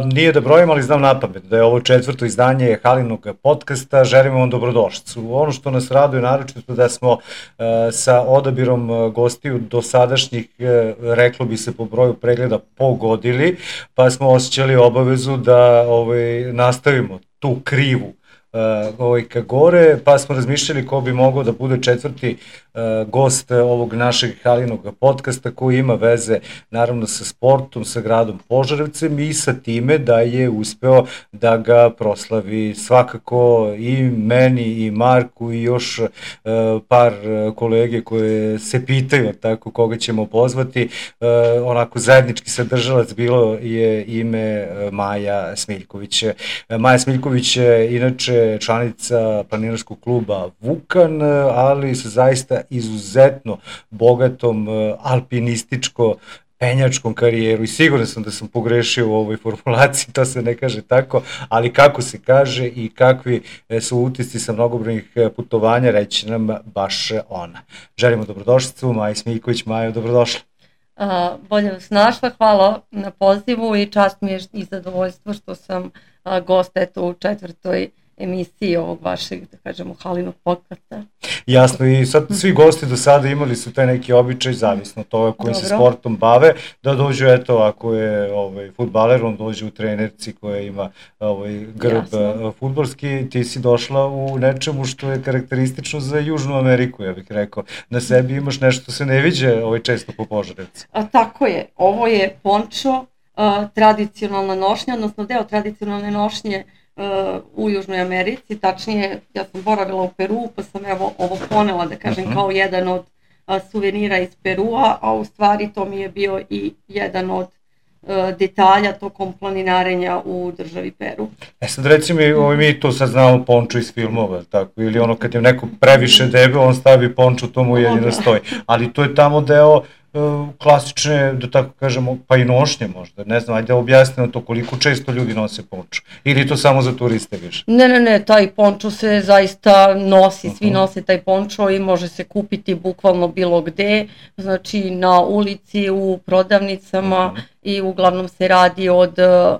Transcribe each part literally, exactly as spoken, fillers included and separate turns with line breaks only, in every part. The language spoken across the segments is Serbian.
Nije da brojim, ali znam napamet da je ovo četvrto izdanje Halinog podcasta. Želimo vam dobrodošlicu. Ono što nas raduje naročito da smo sa odabirom gostiju dosadašnjih, reklo bi se po broju pregleda, pogodili, pa smo osjećali obavezu da ovaj, nastavimo tu krivu ovaj, ka gore, pa smo razmišljali ko bi mogao da bude četvrti uh, gost ovog našeg Halinog podcasta koji ima veze naravno sa sportom, sa gradom Požarevcem i sa time da je uspeo da ga proslavi svakako i meni i Marku i još uh, par kolege koje se pitaju tako koga ćemo pozvati. Uh, onako zajednički sadržalac bilo je ime uh, Maja Smiljković. Uh, Maja Smiljković je inače članica planinarskog kluba Vukan, ali sa zaista izuzetno bogatom alpinističko penjačkom karijeru i siguran sam da sam pogrešio u ovoj formulaciji, to se ne kaže tako, ali kako se kaže i kakvi su utisci sa mnogobrojnih putovanja, reći nam baš ona. Želimo dobrodošlicu, Maja Smiljković. Majo, dobrodošla.
A, bolje vas našla, hvala na pozivu i čast mi je i zadovoljstvo što sam a, gost eto u četvrtoj emisiji ovog vašeg, da kažemo, Halinog podcasta.
Jasno, i sad svi gosti do sada imali su taj neki običaj, zavisno toga kojim se sportom bave, da dođu, eto, ako je ovaj, fudbaler, on dođe u trenerci koja ima ovaj, grb fudbalski, ti si došla u nečemu što je karakteristično za Južnu Ameriku, ja bih rekao. Na sebi imaš nešto što se ne viđe ovaj, često po Požarevcu.
A, tako je, ovo je pončo, a, tradicionalna nošnja, odnosno deo tradicionalne nošnje u Južnoj Americi, tačnije ja sam boravila u Peru pa sam evo ovo ponela da kažem uh-huh. kao jedan od a, suvenira iz Perua, a u stvari to mi je bio i jedan od a, detalja tokom planinarenja u državi Peru.
E sad reci mi, ovaj, mi to sad znamo pončo iz filmova, tako, ili ono kad je neko previše debel, on stavi pončo, to mu jedino stoji, ali to je tamo deo klasične, da tako kažemo, pa i nošnje možda, ne znam, ajde objasni na to koliko često ljudi nose pončo, ili to samo za turiste više?
Ne, ne, ne, taj pončo se zaista nosi, svi uh-huh. nose taj pončo i može se kupiti bukvalno bilo gde, znači na ulici, u prodavnicama uh-huh. i uglavnom se radi od uh,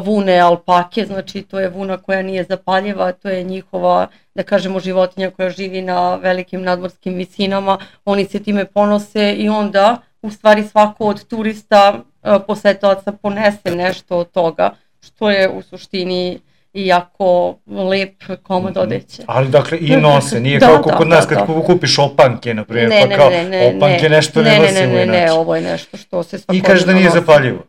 vune alpake, znači to je vuna koja nije zapaljiva, to je njihova, da kažemo, životinja koja živi na velikim nadmorskim visinama, oni se time ponose i onda u stvari svako od turista posetilaca ponese nešto od toga, što je u suštini i jako lep komad odeće.
Ali dakle i nose, nije da, kao da, kod nas da, kad da. kupiš opanke, na primjer, ne, pa kao ne, ne, opanke ne, nešto ne, ne nosimo
ne, ne,
inače.
Ne, ovo je nešto što se svakodnevno
I kaže da nije nosi. Zapaljivo.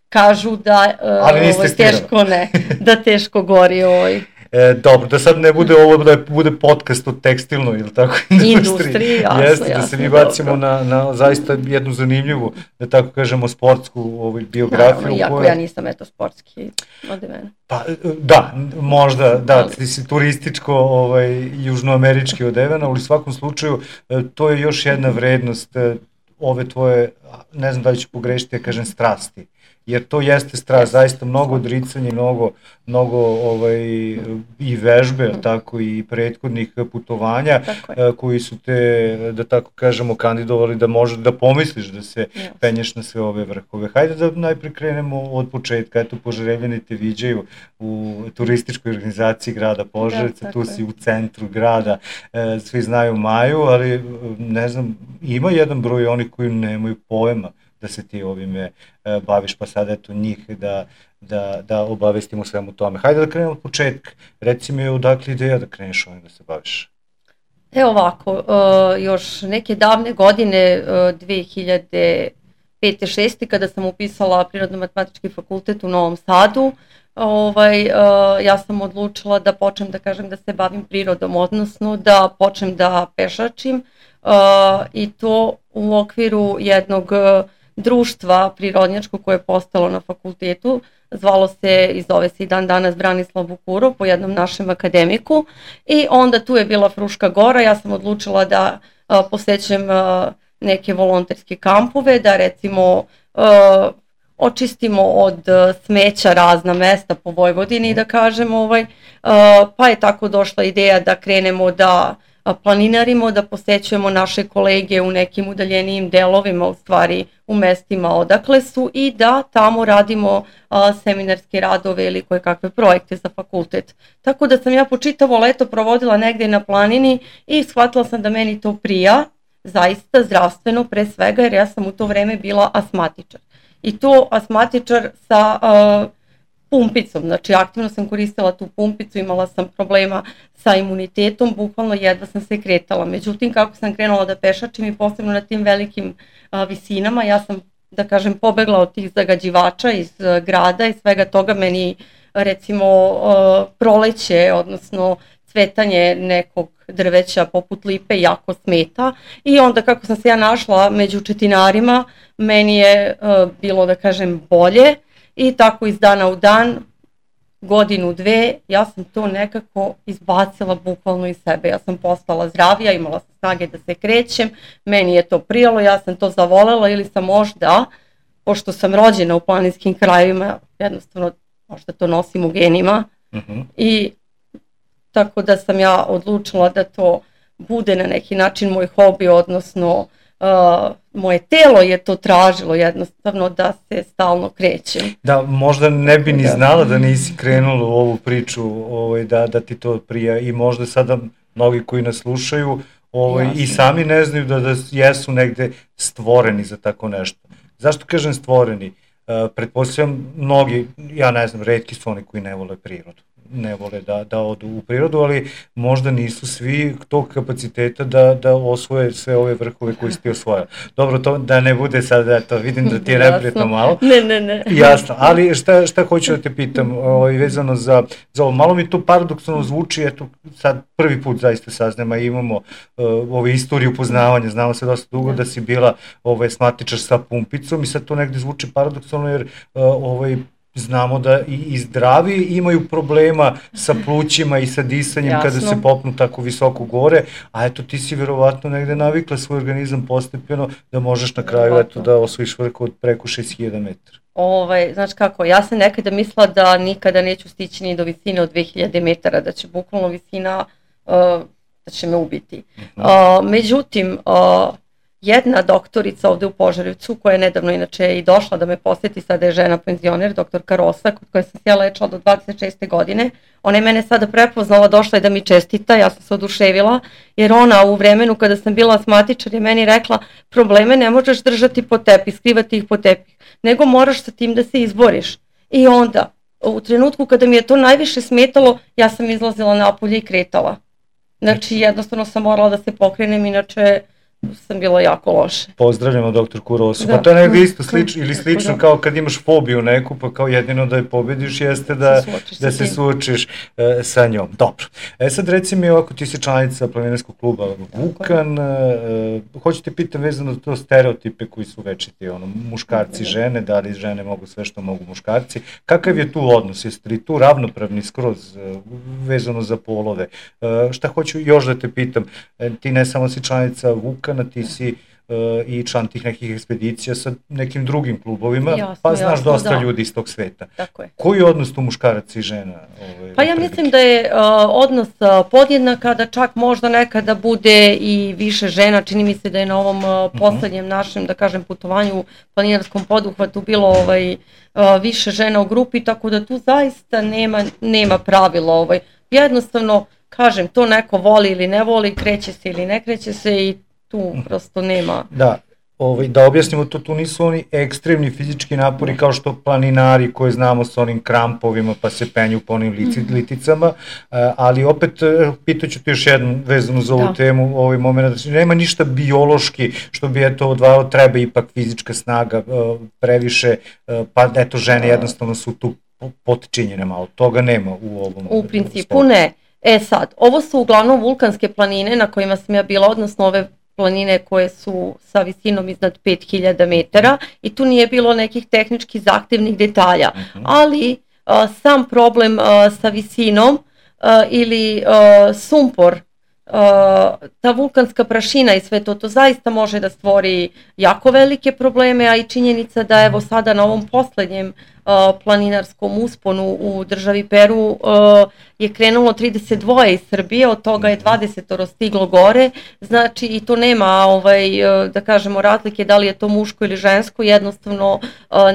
Kažu da uh, ovo teško ne, da teško gori ovaj.
E, dobro, da sad ne bude ovo da bude podcast o tekstilnoj ili tako industriji.
Industriji, jasno,
Jeste,
jasno.
Da se mi bacimo na, na zaista jednu zanimljivu, da tako kažemo, sportsku ovaj, biografiju.
Naravno, iako koja... ja nisam eto sportski od mene.
Pa da, možda, da, ti si turističko, ovaj, južnoamerički odevena, ali u svakom slučaju to je još jedna vrednost ove tvoje, ne znam da li ću pogrešiti, ja kažem strasti. Jer to jeste strast, zaista mnogo odricanja, mnogo, mnogo ovaj, i vežbe, mm. tako i prethodnih putovanja koji su te, da tako kažemo, kandidovali da možeš da pomisliš da se yes. penješ na sve ove vrhove. Hajde da najpre krenemo od početka. Eto, Požarevljani te viđaju u turističkoj organizaciji grada Požarevca, da, tu si u centru grada, svi znaju Maju, ali ne znam, ima jedan broj onih koji nemaju pojma da se ti ovime e, baviš, pa sad eto njih da, da, da obavestimo svemu tome. Hajde da krenemo od početka. Reci mi odakle ideja da kreneš ovim da se baviš?
Evo ovako, uh, još neke davne godine, uh, dve hiljade pete šeste kada sam upisala Prirodno-matematički fakultet u Novom Sadu, ovaj, uh, ja sam odlučila da počnem da kažem da se bavim prirodom, odnosno da počnem da pešačim uh, i to u okviru jednog uh, društva prirodnjačkog koje je postalo na fakultetu, zvalo se i zove se i dan danas Branislav Vukurov po jednom našem akademiku i onda tu je bila Fruška Gora, ja sam odlučila da uh, posećem uh, neke volonterske kampove, da recimo uh, očistimo od uh, smeća razna mesta po Vojvodini, da kažem, ovaj, uh, pa je tako došla ideja da krenemo da planinarimo, da posećujemo naše kolege u nekim udaljenijim delovima, u stvari u mestima odakle su, i da tamo radimo a, seminarske radove ili koje kakve projekte za fakultet. Tako da sam ja po čitavo leto provodila negde na planini i shvatila sam da meni to prija, zaista zdravstveno pre svega, jer ja sam u to vreme bila astmatičar. I to astmatičar sa a, pumpicom, znači aktivno sam koristila tu pumpicu, imala sam problema sa imunitetom, bukvalno jedva sam se kretala. Međutim, kako sam krenula da pešačim i posebno na tim velikim a, visinama, ja sam, da kažem, pobegla od tih zagađivača iz a, grada i svega toga. Meni, recimo, a, proleće, odnosno cvetanje nekog drveća poput lipe jako smeta, i onda kako sam se ja našla među četinarima, meni je a, bilo, da kažem, bolje. I tako iz dana u dan, godinu, dve, ja sam to nekako izbacila bukvalno iz sebe. Ja sam postala zdravija, imala sam snage da se krećem, meni je to prijalo, ja sam to zavolela, ili sam možda, pošto sam rođena u planinskim krajevima, jednostavno možda to nosim u genima. Uh-huh. I tako da sam ja odlučila da to bude na neki način moj hobi, odnosno Uh, moje telo je to tražilo jednostavno da se stalno krećem.
Da, možda ne bi ni znala da nisi krenula u ovu priču, ovaj, da, da ti to prija, i možda sada mnogi koji nas slušaju ovaj, i sami ne znaju da, da jesu negde stvoreni za tako nešto. Zašto kažem stvoreni? Uh, pretpostavljam mnogi, ja ne znam, retki su oni koji ne vole prirodu, ne vole da, da odu u prirodu, ali možda nisu svi tog kapaciteta da, da osvoje sve ove vrhove koje si ti osvojila. Dobro, to da ne bude sad, eto, vidim da ti je neprijatno malo.
Ne, ne, ne.
Jasno, ali šta, šta hoću da te pitam, ovaj, vezano za, za ovo, malo mi to paradoksalno zvuči, eto, sad prvi put zaista saznamo, imamo uh, ove istoriju poznavanja, znamo se dosta dugo da si bila ovaj, astmatičar sa pumpicom, i sad to negde zvuči paradoksalno, jer uh, ovaj, znamo da i zdravi imaju problema sa plućima i sa disanjem. Jasno. Kada se popnu tako visoko gore, a eto ti si verovatno negde navikla svoj organizam postepeno da možeš na kraju eto da osvojiš vrhu od preko šest hiljada metara.
Ovaj, znaš kako, ja sam nekada mislila da nikada neću stići ni do visine od dve hiljade metara, da će bukvalno visina, uh, da će me ubiti. Uh-huh. Uh, međutim, uh, jedna doktorica ovde u Požarevcu, koja je nedavno inače i došla da me poseti, sada je žena penzioner, doktorka Rosa, kod koje sam se ja lečila do dvadeset šeste godine, ona je mene sada prepoznala, došla je da mi čestita, ja sam se oduševila, jer ona u vremenu kada sam bila astmatičar je meni rekla, probleme ne možeš držati pod tepih, skrivati ih pod tepih, nego moraš sa tim da se izboriš. I onda, u trenutku kada mi je to najviše smetalo, ja sam izlazila napolje i kretala. Znači, jednostavno sam morala da se pokrenem, inače sam bila jako loše.
Pozdravljamo doktorku Rosu. Da. Pa to je negdje isto slično, ili slično da. Kao kad imaš fobiju neku, pa kao jedino da je pobediš jeste da se suočiš, da se suočiš e, sa njom. Dobro. E sad reci mi ovako, ti si članica planinarskog kluba Vukan, e, hoću te pitam vezano za to stereotipe koji su večiti, ono, muškarci, žene, da li žene mogu sve što mogu muškarci. Kakav je tu odnos? Jeste li tu ravnopravni skroz e, vezano za polove? E, šta hoću još da te pitam? E, ti ne samo si članica Vukan, ti si uh, i član tih nekih ekspedicija sa nekim drugim klubovima, jasno, pa znaš jasno, dosta da. Ljudi iz tog sveta. Tako je. Koji je odnos tu muškaraca i žena? Ovaj,
pa ja mislim da je uh, odnos uh, podjednaka, da čak možda nekada bude i više žena. Čini mi se da je na ovom uh, poslednjem našem, da kažem, putovanju u planinarskom poduhvatu bilo ovaj, uh, više žena u grupi, tako da tu zaista nema, nema pravila. Ovaj. Jednostavno, kažem, to neko voli ili ne voli, kreće se ili ne kreće se, i tu prosto nema.
Da, ovaj, da objasnimo to, tu nisu oni ekstremni fizički napori kao što planinari koje znamo sa onim krampovima pa se penju po onim lici, liticama, ali opet pitaću ti još jednu vezanu za ovu da. Temu, ovaj moment, znači nema ništa biološki što bi eto odvajalo, treba ipak fizička snaga previše, pa eto žene jednostavno su tu potčinjene malo, toga nema u ovom.
U principu stopu. Ne. E sad, ovo su uglavnom vulkanske planine na kojima sam ja bila, odnosno ove planine koje su sa visinom iznad pet hiljada metara, i tu nije bilo nekih tehnički zahtevnih detalja, uh-huh. ali a, sam problem a, sa visinom a, ili a, sumpor, a, ta vulkanska prašina i sve to, to zaista može da stvori jako velike probleme, a i činjenica da evo sada na ovom poslednjem planinarskom usponu u državi Peru je krenulo trideset dva iz Srbije, od toga je dvadeset stiglo gore, znači i to nema, ovaj, da kažemo, razlike da li je to muško ili žensko, jednostavno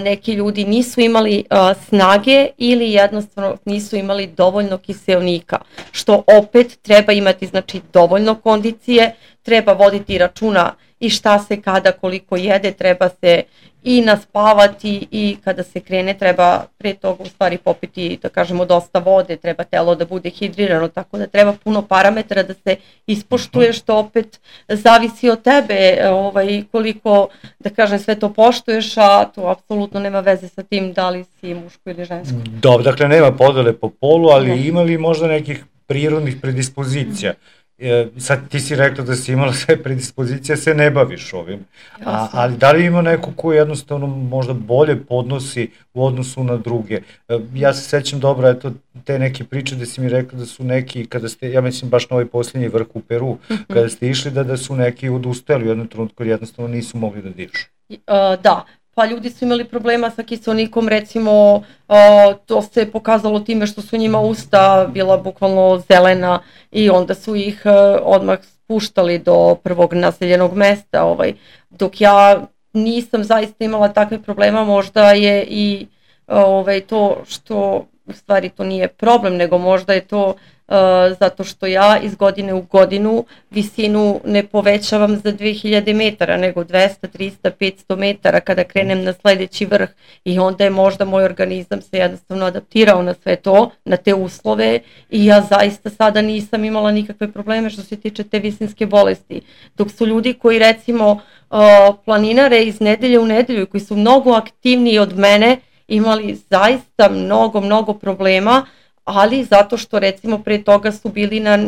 neki ljudi nisu imali snage ili jednostavno nisu imali dovoljno kiseonika, što opet treba imati, znači, dovoljno kondicije, treba voditi računa i šta se kada koliko jede, treba se i naspavati i kada se krene treba pre toga u stvari popiti, da kažemo, dosta vode, treba telo da bude hidrirano, tako da treba puno parametara da se ispoštuje, što opet zavisi od tebe, ovaj, koliko, da kažem, sve to poštuješ, a to apsolutno nema veze sa tim da li si muško ili žensko.
Dobro, dakle nema podele po polu, ali ne. Ima li možda nekih prirodnih predispozicija? E, sad ti si rekla da si imala sve predispozicije, se ne baviš ovim, a, ali da li ima neko ko jednostavno možda bolje podnosi u odnosu na druge? E, ja se sećam dobro, eto, te neke priče da si mi rekla da su neki, kada ste, ja mislim baš na ovaj posljednji vrh u Peru, kada ste išli da, da su neki odustajali u jednom trenutku jer jednostavno nisu mogli da dišu.
Uh, da. Pa ljudi su imali problema sa kiseonikom, recimo to se pokazalo time što su njima usta bila bukvalno zelena i onda su ih odmah spuštali do prvog naseljenog mesta, ovaj. Dok ja nisam zaista imala takve problema, možda je i ovaj, to što u stvari to nije problem, nego možda je to Uh, zato što ja iz godine u godinu visinu ne povećavam za dve hiljade metara, nego dvesta, trista, petsto metara kada krenem na sledeći vrh i onda je možda moj organizam se jednostavno adaptirao na sve to, na te uslove i ja zaista sada nisam imala nikakve probleme što se tiče te visinske bolesti. Dok su ljudi koji recimo uh, planinare iz nedelje u nedelju koji su mnogo aktivniji od mene imali zaista mnogo, mnogo problema, ali zato što recimo pre toga su bili na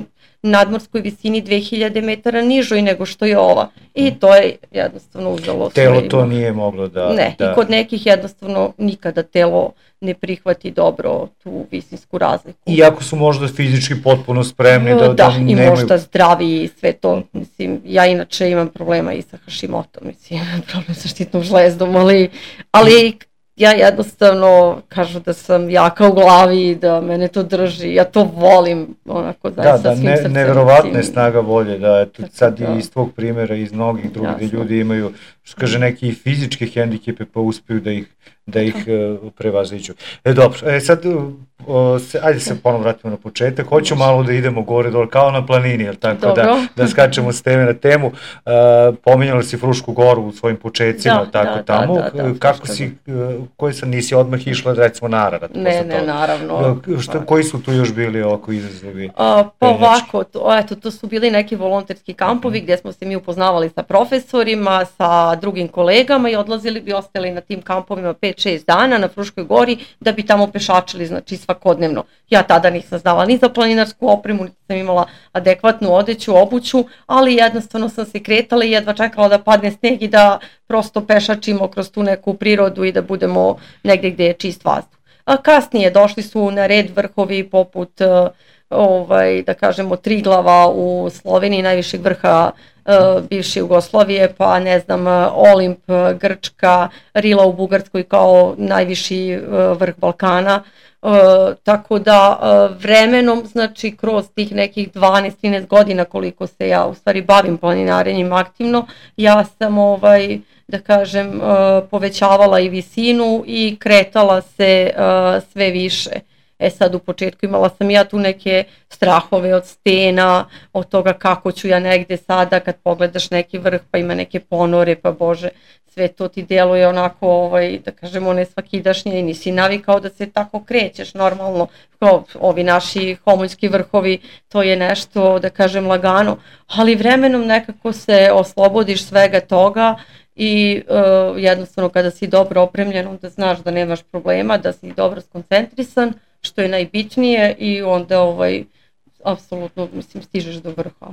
nadmorskoj visini dve hiljade metara nižoj nego što je ova. I to je jednostavno uzelo
telo svojima. To nije moglo da...
Ne,
da...
i kod nekih jednostavno nikada telo ne prihvati dobro tu visinsku razliku.
Iako su možda fizički potpuno spremni da, da,
da
nemaju...
Da, i možda zdravi i sve to. Mislim, ja inače imam problema i sa Hashimotom, mislim, imam problem sa štitnom žlezdom, ali... ali ja jednostavno kažu da sam jaka u glavi i da mene to drži, ja to volim onako zaista
da, da,
svim
ne,
srcem.
Neverovatna je snaga volje, da eto, sad da. Iz tvog primjera, iz mnogih drugih gdje ljudi imaju, što kaže, neki fizičke hendikepe pa uspiju da ih, da ih uh, prevaziđu. E dobro, e, sad uh, se, ajde se ponovno vratimo na početak, hoću malo da idemo gore dole, kao na planini, jel tako, dobro. da, da skačemo s teme na temu. Uh, pominjala si Frušku goru u svojim početcima, da, tako da, tamo, da, da, da, kako si, uh, koje sam nisi odmah išla, recimo na Ararat?
Ne, ne, naravno.
Šta, koji su tu još bili ovako izazovi?
Uh, pa ovako, to, eto, to su bili neki volonterski kampovi gdje smo se mi upoznavali sa profesorima, sa drugim kolegama i odlazili bi, ostali na tim kampovima pet šest dana na Fruškoj gori da bi tamo pešačili, znači svakodnevno. Ja tada nisam znala ni za planinarsku opremu, niti sam imala adekvatnu odeću, obuću, ali jednostavno sam se kretala i jedva čekala da padne sneg i da prosto pešačimo kroz tu neku prirodu i da budemo negdje gdje je čist vazduh. A kasnije došli su na red vrhovi poput, ovaj, da kažemo, Triglava u Sloveniji, najvišeg vrha uh, bivše Jugoslavije, pa ne znam, Olimp, Grčka, Rila u Bugarskoj kao najviši uh, vrh Balkana. Uh, tako da uh, vremenom, znači kroz tih nekih dvanaest trinaest godina koliko se ja u stvari bavim planinarenjem aktivno, ja sam ovaj, da kažem, uh, povećavala i visinu i kretala se uh, sve više. E sad u početku imala sam ja tu neke strahove od stena, od toga kako ću ja negde sada kad pogledaš neki vrh pa ima neke ponore, pa bože, sve to ti deluje onako, ovaj, da kažemo, nesvakidašnje i nisi navikao da se tako krećeš normalno, kao ovi naši homoljski vrhovi, to je nešto, da kažem, lagano, ali vremenom nekako se oslobodiš svega toga i uh, jednostavno kada si dobro opremljen onda znaš da nemaš problema, da si dobro skoncentrisan, što je najbitnije i onda ovaj, apsolutno, mislim, stižeš do vrha.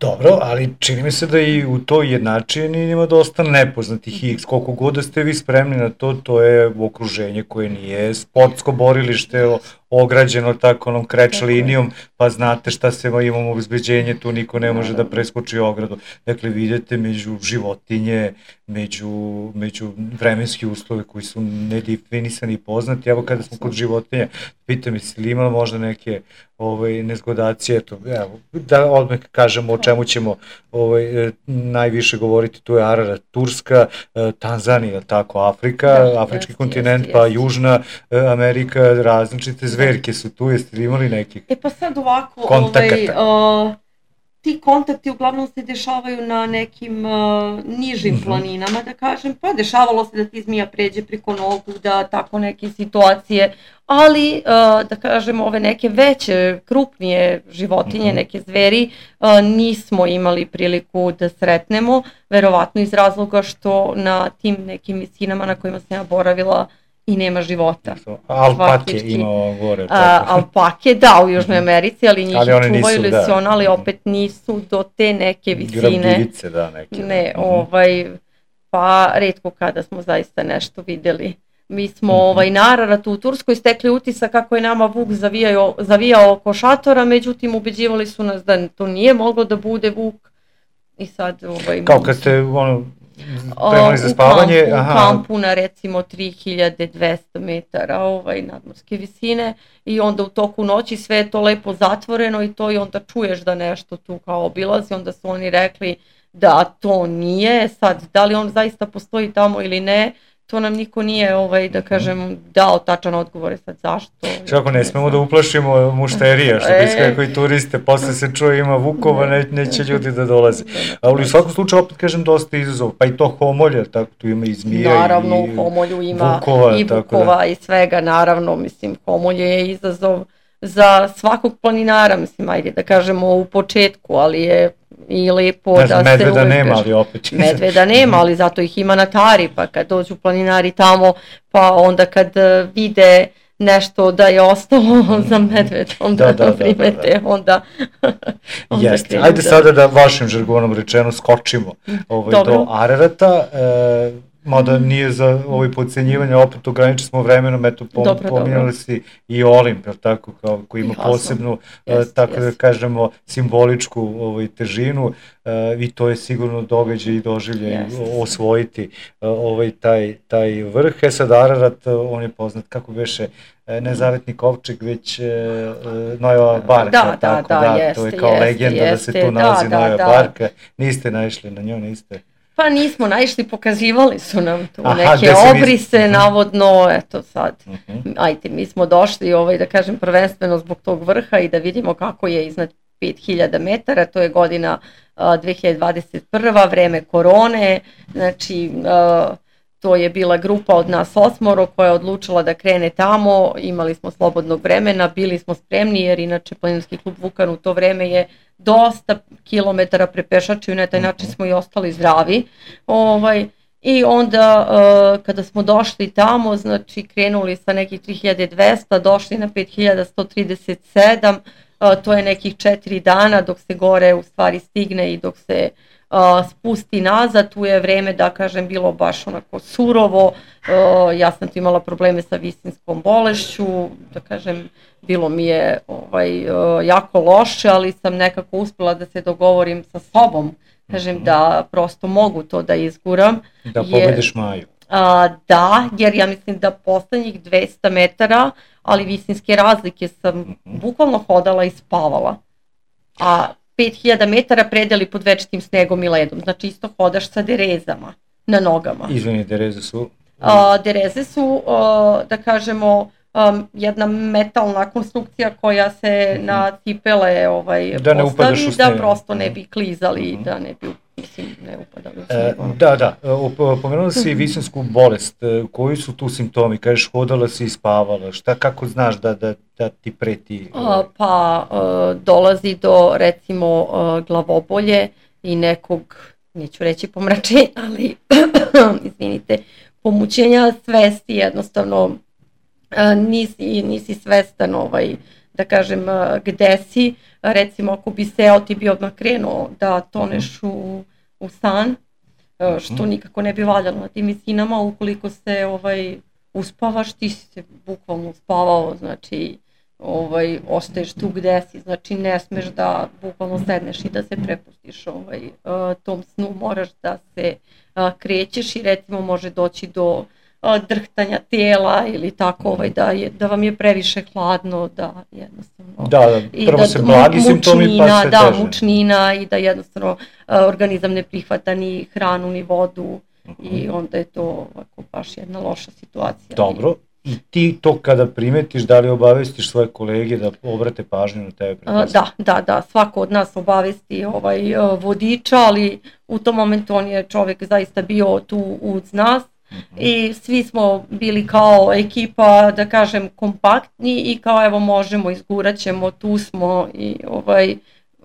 Dobro, ali čini mi se da i u toj jednačini ima dosta nepoznatih i koliko god da ste vi spremni na to, to je okruženje koje nije sportsko borilište, ograđeno tako onom kreč
Tako
linijom, pa znate šta se imamo obezbeđenje, tu niko ne može da preskoči ogradu. Dakle, vidite među životinje, među, među vremenski uslove koji su nedefinisani i poznati. Evo kada smo kod životinja, pitam se li imala možda neke ovaj, nezgodacije, eto, evo, da odmah kažemo o čemu ćemo ovaj, najviše govoriti, tu je Ararat, Turska, Tanzanija, tako, Afrika, da, afrički jest, kontinent, jest, pa jest. Južna Amerika, različite zverke su tu, jeste li imali nekih
E pa sad ovako,
kontakata?
Ovaj, uh, ti kontakti uglavnom se dešavaju na nekim uh, nižim mm-hmm. planinama, da kažem, pa dešavalo se da ti zmija pređe preko nogu, da tako neke situacije, ali uh, da kažem ove neke veće, krupnije životinje, mm-hmm. neke zveri, uh, nismo imali priliku da sretnemo, verovatno iz razloga što na tim nekim visinama na kojima sam ja boravila i nema života.
Alpake imao gore.
A, alpake, da, u Južnoj Americi, ali njih ali čuvaju lesiona, ali opet nisu do te neke visine.
Grabljivice, da, neke.
Ne, da. ovaj, pa retko kada smo zaista nešto videli. Mi smo mm-hmm. ovaj, na Araratu u Turskoj stekli utisak kako je nama vuk zavijao, zavijao oko šatora, međutim ubeđivali su nas da to nije moglo da bude vuk. I sad, ovaj,
kao kad ste, ono, spremali za spavanje?
U kampu, u kampu na recimo tri hiljade dvesta metara ovaj, nadmorske visine i onda u toku noći sve je to lepo zatvoreno i to i onda čuješ da nešto tu kao obilazi, onda su oni rekli da to nije, sad da li on zaista postoji tamo ili ne, to nam niko nije, ovaj, da kažem, dao tačan odgovor, sad zašto.
Kako ne smemo da uplašimo mušterija, što bi sve koji turiste, posle se čuje ima vukova, ne, neće ljudi da dolaze. Ali u svakom slučaju, opet kažem, dosta izazov, pa i to homolje, tako tu ima i zmija
naravno,
i
u homolju ima
vukova,
i vukova da. I svega, naravno, mislim, homolje je izazov za svakog planinara, mislim, ajde da kažemo u početku, ali je i lepo ne znam, da se
medveda nema, ali opet
medveda nema, ali zato ih ima na Tari, pa kad dođu planinari tamo, pa onda kad vide nešto da je ostalo za medvedom da, da, da primete, da, da. onda,
onda jeste, ajde da. Sada da vašim žargonom rečeno skočimo ovaj, do Ararata, e, mada nije za ovaj podcenjivanje, opet ograničili smo vremenom, eto pom, dobro, pominjali dobro. Si i Olimp, tako, kao, koji ima jasno. Posebnu, yes, tako yes. da kažemo, simboličku ovaj, težinu uh, i to je sigurno događaj i doživlje yes. osvojiti uh, ovaj, taj, taj vrh. E sad Ararat, uh, on je poznat kako beše ne Zavetni kovčeg, već uh, Nojeva barka,
da,
tako
da,
da,
da jeste,
to je kao
jeste,
legenda
jeste,
da se tu nalazi
da,
Nojeva
da,
barka, niste naišli na nju, niste?
Pa nismo naišli, pokazivali su nam tu aha, neke obrise, nis... navodno, eto sad, uh-huh. ajde, mi smo došli, ovaj, da kažem, prvenstveno zbog tog vrha i da vidimo kako je iznad pet hiljada metara, to je godina uh, dve hiljade dvadeset prva, vreme korone, znači uh, to je bila grupa od nas osmoro koja je odlučila da krene tamo, imali smo slobodnog vremena, bili smo spremni jer inače planinarski klub Vukan u to vreme je dosta kilometara prepešačio i na taj način smo i ostali zdravi. Ovaj, I onda uh, kada smo došli tamo, znači krenuli sa nekih tri hiljade dvesta, došli na pet hiljada sto trideset sedam, uh, to je nekih četiri dana dok se gore u stvari stigne i dok se uh, spusti nazad, tu je vreme da kažem bilo baš onako surovo, uh, ja sam tu imala probleme sa visinskom bolešću, da kažem bilo mi je ovaj, uh, jako loše, ali sam nekako uspela da se dogovorim sa sobom, kažem mm-hmm. da prosto mogu to da izguram.
Da pobediš Maju.
A, da, jer ja mislim da poslednjih dvesta metara, ali visinske razlike sam mm-hmm. bukvalno hodala i spavala. A pet hiljada metara predeli pod večitim snegom i ledom, znači isto hodaš sa derezama na nogama.
Izvini, dereze su?
A, dereze su, a, da kažemo, Um, jedna metalna konstrukcija koja se mm-hmm. na cipele ovaj,
da
postavi, da prosto ne bi klizali, mm-hmm. da ne bi, mislim, ne upadali u sneg.
E, da, da, pomenula si visinsku bolest, koji su tu simptomi, kažeš hodala si i spavala, šta, kako znaš da, da, da ti preti?
A, pa a, dolazi do recimo a, glavobolje i nekog, neću reći pomračenja, ali izvinite, pomućenja svesti jednostavno. Nisi, nisi svestan ovaj, da kažem gde si, recimo ako bi seo ti bi odmah krenuo da toneš u, u san, što nikako ne bi valjalo na tim visinama, ukoliko se ovaj, uspavaš ti si se bukvalno uspavao, znači ovaj, ostaješ tu gde si, znači ne smeš da bukvalno sedneš i da se prepustiš ovaj, uh, tom snu, moraš da se uh, krećeš i recimo može doći do uh, drhtanja tijela ili tako ovaj, da, je, da vam je previše hladno, da jednostavno...
Da, da, prvo
da,
se blagi simptomi pa se
da,
teže.
mučnina i da jednostavno uh, organizam ne prihvata ni hranu ni vodu uh-huh. i onda je to ovako baš jedna loša situacija.
Dobro. I ti to kada primetiš, da li obavestiš svoje kolege da obrate pažnju na tebe?
Uh, da, da, da, svako od nas obavesti ovaj, uh, vodiča, ali u tom momentu on je čovjek zaista bio tu uz nas uh-huh. i svi smo bili kao ekipa, da kažem, kompaktni i kao evo možemo, izgurat ćemo, tu smo i ovaj,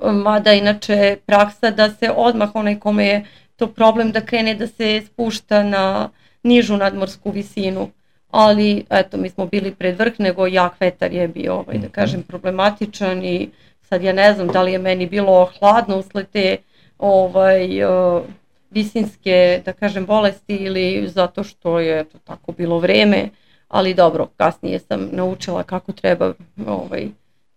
mada inače praksa da se odmah onaj kome je to problem da krene da se spušta na nižu nadmorsku visinu. Ali eto, mi smo bili pred vrh, nego jak vetar je bio, ovaj, da kažem, problematičan i sad ja ne znam da li je meni bilo hladno usled te ovaj, uh, visinske, da kažem, bolesti ili zato što je to tako bilo vreme, ali dobro, kasnije sam naučila kako treba ovaj,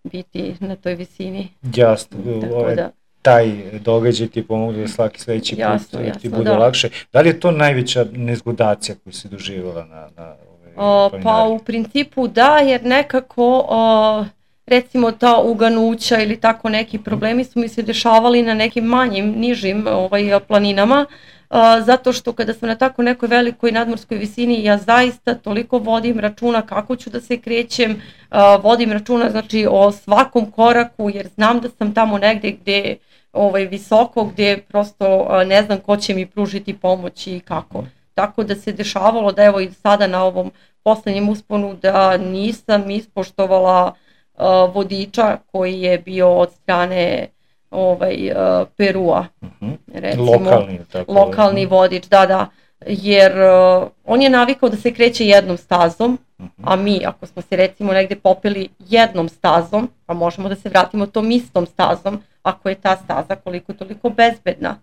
biti na toj visini.
Jasno, ovaj, da. Taj događaj ti pomogu da svaki sledeći
jasno,
put
jasno,
ti bude
da.
lakše. Da li je to najveća nezgodacija koju si doživjela na, na
O, pa u principu da, jer nekako o, recimo ta uganuća ili tako neki problemi su mi se dešavali na nekim manjim, nižim ovaj, planinama, o, zato što kada sam na tako nekoj velikoj nadmorskoj visini ja zaista toliko vodim računa kako ću da se krećem, o, vodim računa znači o svakom koraku jer znam da sam tamo negde gde ovaj, visoko, gde prosto o, ne znam ko će mi pružiti pomoć i kako. Tako da se dešavalo da evo i sada na ovom poslednjem usponu da nisam ispoštovala uh, vodiča koji je bio od strane ovaj, uh, Perua.
Uh-huh.
Recimo,
lokalni, tako
lokalni vodič, da, da. Jer uh, on je navikao da se kreće jednom stazom, uh-huh. a mi ako smo se recimo negde popeli jednom stazom, pa možemo da se vratimo tom istom stazom, ako je ta staza koliko toliko bezbedna.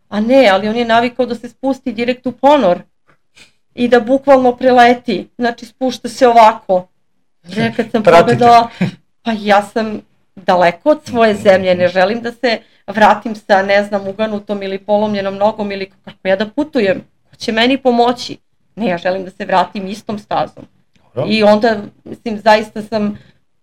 A ne, ali on je navikao da se spusti direkt u ponor i da bukvalno preleti, znači spušta se ovako. Ja kad sam pogledala, pa ja sam daleko od svoje zemlje, ne želim da se vratim sa, ne znam, uganutom ili polomljenom nogom ili kako ja da putujem, ko će meni pomoći? Ne, ja želim da se vratim istom stazom. Dobro. I onda, mislim, zaista sam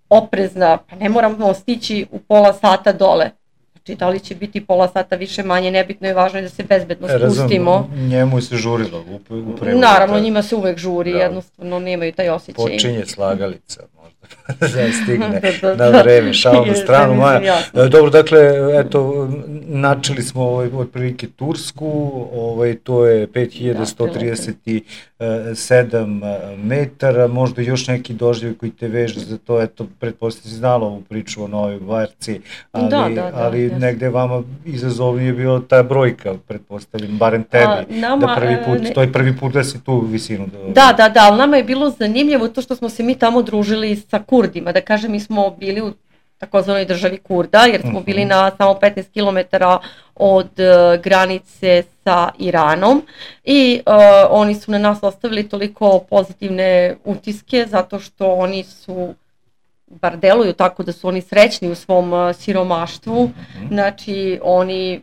oprezna, pa ne moramo stići u pola sata dole. Znači, da li će biti pola sata više manje, nebitno je, važno je da se bezbedno spustimo.
Razum, njemu se žurilo u, u prevodu.
Naravno, njima se uvek žuri, da. Jednostavno nemaju taj osjećaj.
Počinje slagalica, možda da stigne da, da, na vreme, šalom na stranu. Maja. Dobro, dakle, eto, načeli smo ovaj, otprilike Tursku, ovaj, to je pet hiljada sto trideset sedam metara, možda još neki doživljaj koji te veže za to, eto, pretpostavljam si znala ovu priču o Novoj Gvarci, ali, da, da, da, ali da, negde vama izazovnije je bila ta brojka, pretpostavljam, barem tebi, A, nama, da prvi put, ne... to je prvi put da si tu visinu. Da,
da, da, da, ali nama je bilo zanimljivo to što smo se mi tamo družili sa Kurdima, da kažem, mi smo bili u takozvanoj državi Kurda, jer smo uh-huh. bili na samo petnaest kilometara od uh, granice sa Iranom i uh, oni su na nas ostavili toliko pozitivne utiske zato što oni su, bar deluju tako da su oni srećni u svom uh, siromaštvu, uh-huh. znači oni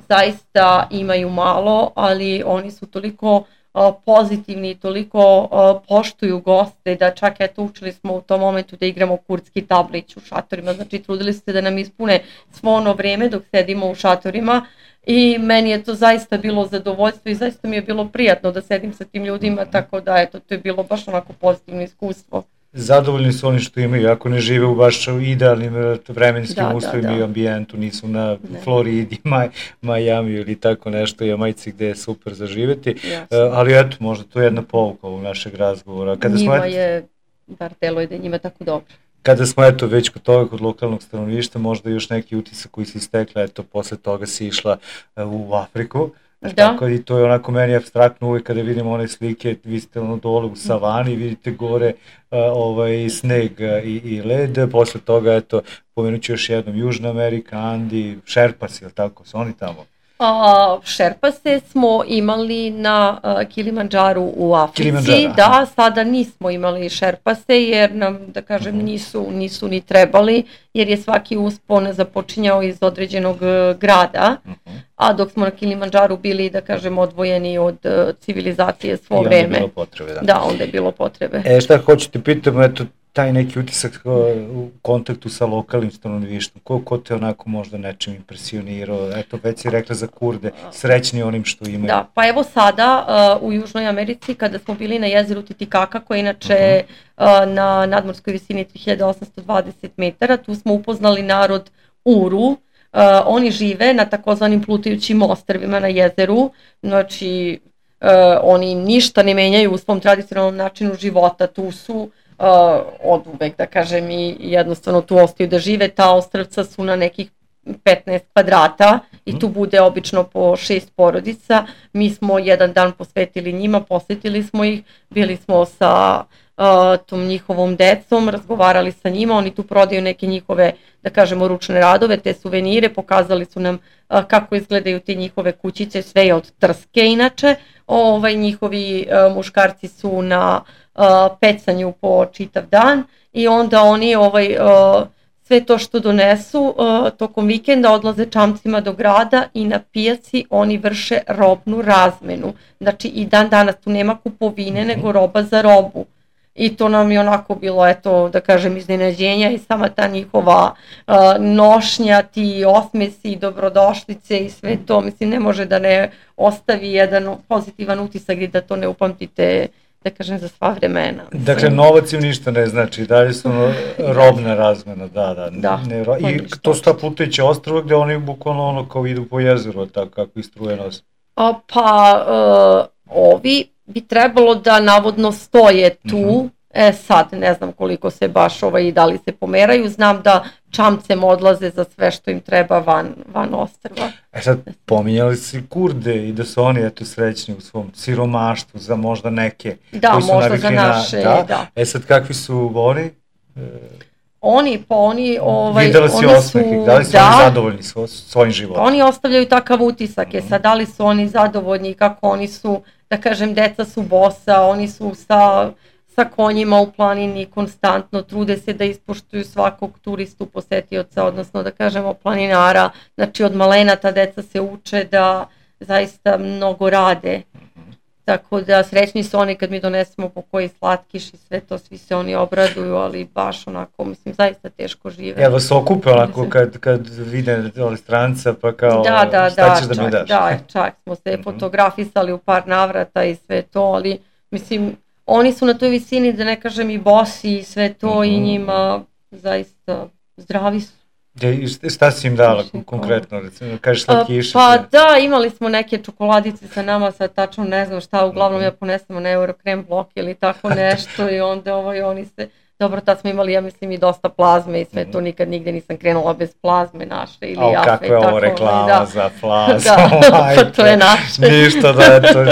zaista imaju malo, ali oni su toliko pozitivni, toliko poštuju goste da čak eto učili smo u tom momentu da igramo kurdski tablić u šatorima, znači trudili su se da nam ispune svo ono vreme dok sedimo u šatorima i meni je to zaista bilo zadovoljstvo i zaista mi je bilo prijatno da sedim sa tim ljudima, tako da eto to je bilo baš onako pozitivno iskustvo.
Zadovoljni su oni što imaju, ako ne žive u baš idealnim vremenskim da, uslovima da, da. i ambijentu, nisu na ne. Floridi, Maj, Miami ili tako nešto, Jamajci gde je super za živeti, uh, ali eto, možda to je jedna pouka ovog našeg razgovora. Kada
njima
smo,
je, bar telo je da je njima tako dobro.
Kada smo eto već kod toga, kod lokalnog stanovništva, možda još neki utisak koji si istekla, eto posle toga si išla uh, u Afriku. Da. Tako i to je onako meni abstraktno uvijek kada vidimo one slike, vi ste ono dole u savani, vidite gore uh, ovaj, sneg uh, i, i led, posle toga eto pomenut ću još jednom Južna Amerika, Andi, Šerpas, je li tako, su oni tamo?
A, šerpase smo imali na a, Kilimandžaru u Africi,
aha.
da, sada nismo imali šerpase jer nam, da kažem,
Mhm.
nisu, nisu ni trebali, jer je svaki uspon započinjao iz određenog e, grada,
Mhm.
a dok smo na Kilimandžaru bili, da kažem, odvojeni od e, civilizacije svo
I onda je
vreme.
bilo potrebe, da.
Da, onda je bilo potrebe.
E, šta hoću ti pitam, eto, taj neki utisak uh, u kontaktu sa lokalnim stanovništvom, ko, ko te onako možda nečim impresionirao, eto, već si rekla za Kurde, srećni onim što imaju.
Da, pa evo sada uh, u Južnoj Americi kada smo bili na jezeru Titikaka, koje je inače uh, na nadmorskoj visini tri hiljade osamsto dvadeset metara, tu smo upoznali narod Uru. Uh, oni žive na takozvanim plutajućim ostrvima na jezeru, znači uh, oni ništa ne menjaju u svom tradicionalnom načinu života, tu su Uh, od uvek, da kažem, i jednostavno tu ostaju da žive. Ta ostrvca su na nekih petnaest kvadrata i tu bude obično po šest porodica. Mi smo jedan dan posvetili njima, posetili smo ih, bili smo sa uh, tom njihovom decom, razgovarali sa njima, oni tu prodaju neke njihove, da kažemo, ručne radove, te suvenire, pokazali su nam uh, kako izgledaju te njihove kućice, sve je od trske inače. Ovaj, njihovi uh, muškarci su na uh, pecanju po čitav dan i onda oni ovaj, uh, sve to što donesu uh, tokom vikenda odlaze čamcima do grada i na pijaci oni vrše robnu razmenu. Znači i dan danas tu nema kupovine nego roba za robu. I to nam je onako bilo, eto, da kažem, iznenađenja i sama ta njihova uh, nošnja, ti osmesi, dobrodošlice i sve to, mislim, ne može da ne ostavi jedan pozitivan utisak i da to ne upamtite, da kažem, za sva vremena. Mislim.
Dakle, novac im ništa ne znači, dalje su ono, robna razmena, da, da.
Da,
ne, ro... I to su ta plutajuća ostrva gde oni bukvalno ono kao idu po jezeru, tako kako istruje nos.
A, pa, uh, ovi bi trebalo da navodno stoje tu, uh-huh. E sad ne znam koliko se baš ovaj, da li se pomeraju, znam da čamcem odlaze za sve što im treba van, van ostrva.
E sad, pominjali si Kurde i da su oni eto srećni u svom siromaštvu za možda neke
da,
koji su
možda za naše,
na, da.
da.
E sad, kakvi su oni? E...
Oni, pa oni, ovaj,
videla si
oni
osmeh,
su,
da li su
da,
oni zadovoljni svo, svojim životom?
Oni ostavljaju takav utisak, je sad da li su oni zadovoljni, kako oni su, da kažem, deca su bosa, oni su sa, sa konjima u planini konstantno, trude se da ispoštuju svakog turistu, posetioca, odnosno da kažemo planinara, znači od malena ta deca se uče da zaista mnogo rade. Tako da srećni su oni kad mi donesemo po koji slatkiš i sve to, svi se oni obraduju, ali baš onako, mislim, zaista teško žive.
Evo se okupe onako kad, kad vide ove stranca pa kao
da, da,
šta
da,
ćeš da
čak,
mi daš?
Da, čak smo se mm-hmm. fotografisali u par navrata i sve to, ali mislim, oni su na toj visini, da ne kažem, i bosi i sve to mm-hmm. i njima zaista zdravi su.
I šta si im dala konkretno, recimo, kažeš slatkiše?
Pa da, imali smo neke čokoladice sa nama, sad tačno ne znam šta, uglavnom ja ponesemo na Eurokrem blok ili tako nešto i onda ovaj, oni se, dobro, tad smo imali, ja mislim, i dosta plazme i sve to, nikad nigde nisam krenula bez plazme naše ili
o,
jafe.
Kakva je ovo reklama da. Za plazmu?
Da, pa to je naše.
Ništa, da, eto,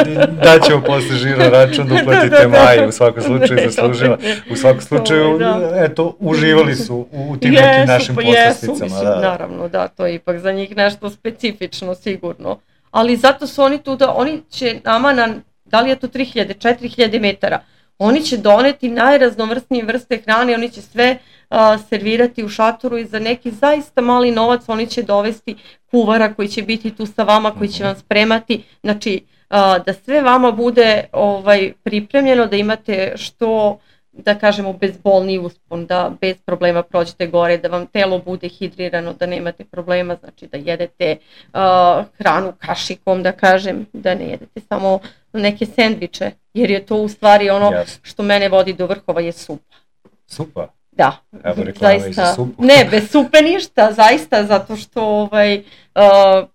daćemo posle žiro račun da uplatite Maji, u svakom slučaju zaslužila. U svakom slučaju, eto, uživali su u tim
jesu,
nekim našim
pa
poslasticama.
Jesu, mislim, da. Naravno, da, to je ipak za njih nešto specifično, sigurno. Ali zato su oni tu da, oni će nama na, da li je to tri hiljade, četiri hiljade metara, oni će doneti najraznovrsnije vrste hrane, oni će sve uh, servirati u šatoru i za neki zaista mali novac oni će dovesti kuvara koji će biti tu sa vama, koji će vam spremati, znači uh, da sve vama bude ovaj, pripremljeno, da imate što, da kažemo, bezbolniji uspon, da bez problema prođete gore, da vam telo bude hidrirano, da nemate problema, znači da jedete uh, hranu kašikom, da kažem, da ne jedete samo neke sendviče, jer je to u stvari ono yes. što mene vodi do vrhova je supa.
Supa?
Da.
Evo reklama i za supu.
Ne, bez supe ništa, zaista, zato što ovaj, uh,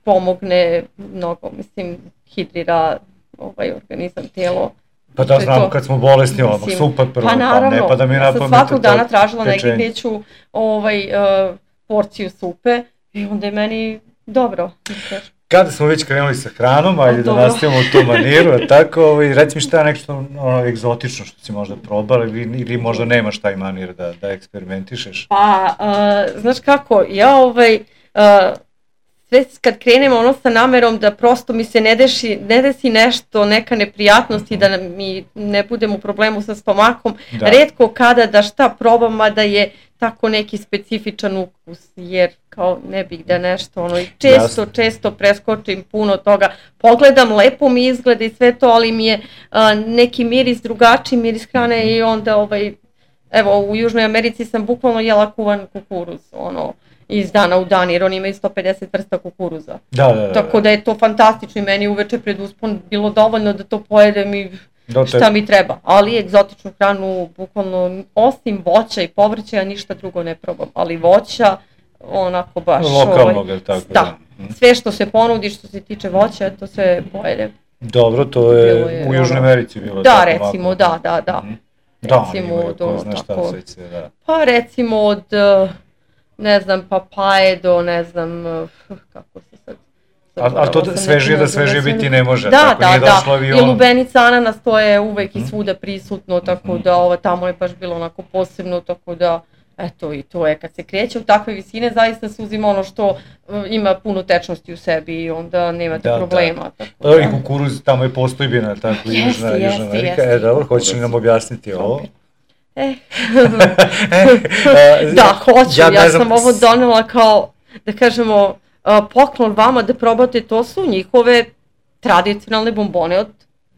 pomogne mnogo, mislim, hidrira ovaj organizam, telo.
Pa da znamo kad smo bolesni, ono, supa prvo, pa, naravno, pa ne pa da mi napamet.
Ja sam svakog dana tražila negdje neću ovaj, uh, porciju supe i onda je meni dobro.
Kada smo već krenuli sa hranom, ajde da nastavimo u tu maniru, a tako, ovaj, reci mi šta je nešto ono, egzotično što si možda probala ili, ili možda nemaš taj manir da, da eksperimentišeš?
Pa, uh, znaš kako, ja ovaj, uh, sve kad krenem ono sa namerom da prosto mi se ne desi, ne desi nešto, neka neprijatnost i da mi ne budem u problemu sa stomakom, da. Retko kada da šta probam, mada je tako neki specifičan ukus, jer kao ne bih da nešto, ono, često, često preskočim puno toga, pogledam, lepo mi izgleda i sve to, ali mi je a, neki miris, drugačiji miris hrane i onda, ovaj, evo, u Južnoj Americi sam bukvalno jela kuvan kukuruz, ono, iz dana u dan, jer oni imaju sto pedeset vrsta kukuruza.
Da, da, da.
Tako da je to fantastično i meni uveče pred uspon bilo dovoljno da to pojedem i šta mi treba. Ali egzotičnu hranu, bukvalno, osim voća i povrća, ja ništa drugo ne probam. Ali voća, onako baš...
Lokalnog, je tako?
Da. Sve što se ponudi, što se tiče voća, to sve pojedem.
Dobro, to je, je u Južnoj Americi bilo.
Da, recimo, ovako. da, da, da.
Mm-hmm. Da, recimo, oni imaju ko zna šta sve sve, da.
Pa recimo od... ne znam, papaje do, ne znam, kako se sad...
Ali al to svežije da svežije biti ne može,
da,
tako
da,
nije
da.
došlo avion.
I lubenica, ananas, to je uvek mm-hmm. i svuda prisutno, tako mm-hmm. da ovo, tamo je baš bilo onako posebno, tako da, eto, i to je, kad se kreće u takve visine, zaista se uzima ono što uh, ima puno tečnosti u sebi i onda nemate
da,
problema.
Da.
Tako da.
I kukuruz, tamo je postojbina, tako i
Jeste,
Južna, Južna Amerika. E, dobro, hoćeš li nam objasniti ovo?
Eh. Da, hoću, ja, ja sam znam... ovo donela kao, da kažemo, poklon vama da probate, to su njihove tradicionalne bombone od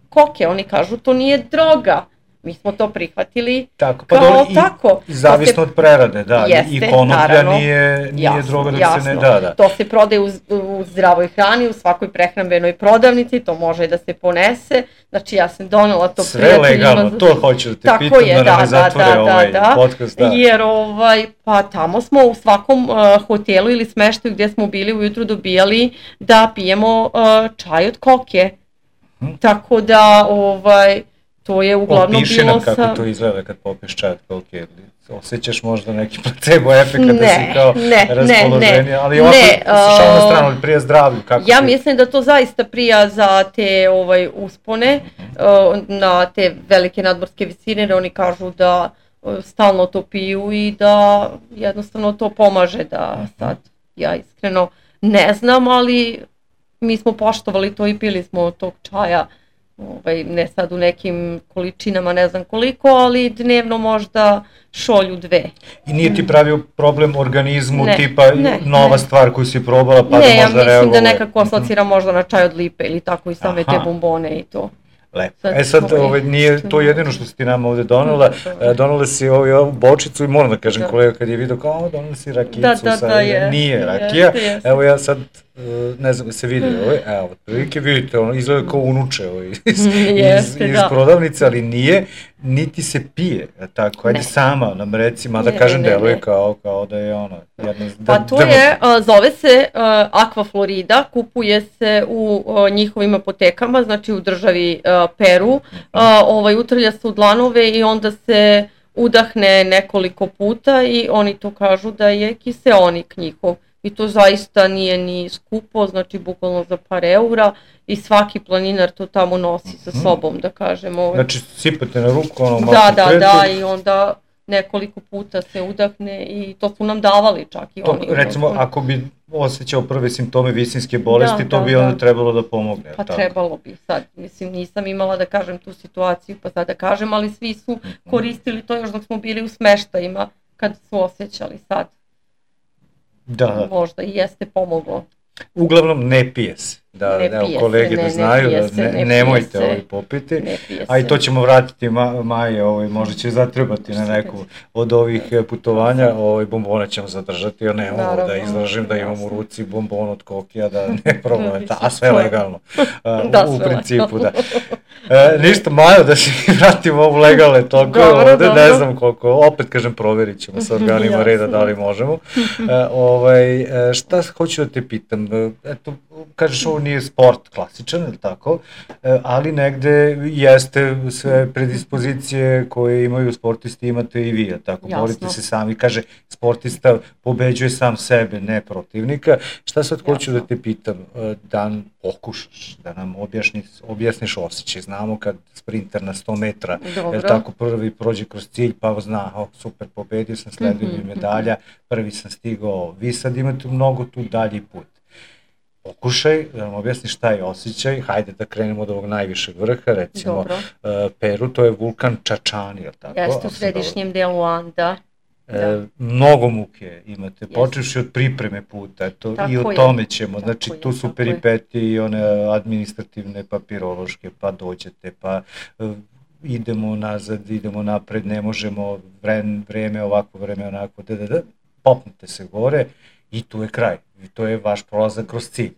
koke, oni kažu to nije droga, mi smo to prihvatili
tako, pa
kao
dobro, i,
tako.
I zavisno se, od prerade, da,
jeste,
i konoplja
naravno,
nije, nije
jasno,
droga da
jasno.
se ne da, da.
To se prodaje u, u zdravoj hrani, u svakoj prehrambenoj prodavnici, to može da se ponese, znači ja sam donela to
sve
prijateljima.
Sve legalno, to hoću da te
tako
pitam,
je,
da, da
ne zatvore
da, ovaj
da,
podcast, da.
Jer ovaj, pa tamo smo u svakom uh, hotelu ili smeštaju gdje smo bili ujutru dobijali da pijemo uh, čaj od koke, hmm. tako da ovaj, to je uglavnom
Opiši
bilo
nam kako
sa...
to izgleda kad popiješ čaj od koke. Osjećaš možda neki placebo efekt da si kao
ne,
raspoloženje,
ne,
ali ovako
ne,
šalno uh, stranu, ali prija zdravlju. Kako
ja
ti...
mislim da to zaista prija za te ovaj, uspone, uh, na te velike nadmorske visine, jer oni kažu da uh, stalno to piju i da jednostavno to pomaže, da sad ja iskreno ne znam, ali mi smo poštovali to i pili smo tog čaja. Ovaj, ne sad u nekim količinama, ne znam koliko, ali dnevno možda šolju dve.
I nije ti pravio problem organizmu,
ne,
tipa ne, nova ne. stvar koju si probala pa
ne,
da možda reagovalo?
Ne, ja mislim da nekako asocira možda na čaj od lipe ili tako i same Aha. te bombone i to.
Lepo. Sad, e sad, ovaj, nije to jedino što si ti nama ovde donela, e, donela si ovaj, ovu bočicu i moram da kažem da. kolega kad je vidio kao, donela si rakicu,
da, da,
sad,
da, je,
nije rakija,
je, je,
evo ja sad, ne znam da se vidi ovaj, evo, prilike vidite, ono izgleda kao unuče ovaj, iz,
Jeste,
iz, iz
da.
prodavnice, ali nije, niti se pije, tako, ajde ne. sama nam reci, mada ne, kažem deluje kao, kao da je ono, jedno...
Pa to da, je, uh, zove se uh, Aquaflorida, kupuje se u uh, njihovim apotekama, znači u državi uh, Peru, uh, ovaj, utrlja se u dlanove i onda se udahne nekoliko puta i oni to kažu da je kiseonik njihov. I to zaista nije ni skupo, znači bukvalno za par eura i svaki planinar to tamo nosi sa sobom, da kažemo.
Znači sipate na ruku, ono malo
Da, da, da, i onda nekoliko puta se udahne i to su nam davali čak i
to,
oni.
Recimo, ono, ako bi osjećao prve simptome visinske bolesti, da, to da, bi onda da. trebalo da pomogne.
Pa
tako?
trebalo bi sad, mislim nisam imala da kažem tu situaciju, pa sad da kažem, ali svi su koristili to još dok smo bili u smeštajima, kad su osjećali sad.
Da.
Možda i jeste pomoglo.
Uglavnom ne pije se, da,
ne
da
pije
kolege
se,
da
ne,
znaju,
ne
da
se,
ne,
ne
nemojte ovaj popiti, a i to ćemo vratiti ma, Maje, ovaj, možda će zatrebati na neku od ovih putovanja, ovaj, bombone ćemo zadržati, ja ne mogu da izražim da imam u ruci bombon od kokija, da ne problem, a sve legalno, a, da, u, u principu, da. E, ništa, Majo, da se vratimo ovu legalne tokove ovde, dobro. Ne znam koliko, opet kažem, proverit ćemo sa organima reda da li možemo. E, ovaj, šta hoću da te pitam, eto, kažeš ovo nije sport klasičan, ili tako, e, ali negde jeste sve predispozicije koje imaju sportisti, imate i vi, tako, borite se sami, kaže, sportista pobeđuje sam sebe, ne protivnika. Šta sad hoću Jasno. da te pitam, da pokušaš, da nam objasniš, objasniš osjećaj, znamo kad sprinter na sto metra, jer tako prvi prođe kroz cilj, pa zna, oh, super, pobedio sam, sleduju mi medalja, prvi sam stigao, vi sad imate mnogo tu dalji put. pokušaj da nam objasni šta je osjećaj, hajde da krenemo od ovog najvišeg vrha, recimo uh, Peru, to je vulkan Čačani, je li tako?
Jeste u središnjem delu Anda.
E, da. Mnogo muke imate, počevši od pripreme puta, eto, i o tome ćemo, tako znači je, tu su peripetije i one administrativne, papirološke, pa dođete, pa uh, idemo nazad, idemo napred, ne možemo, vreme, vreme ovako, vreme onako, da, da, da, popnete se gore i tu je kraj, i to je vaš prolazak kroz cilj.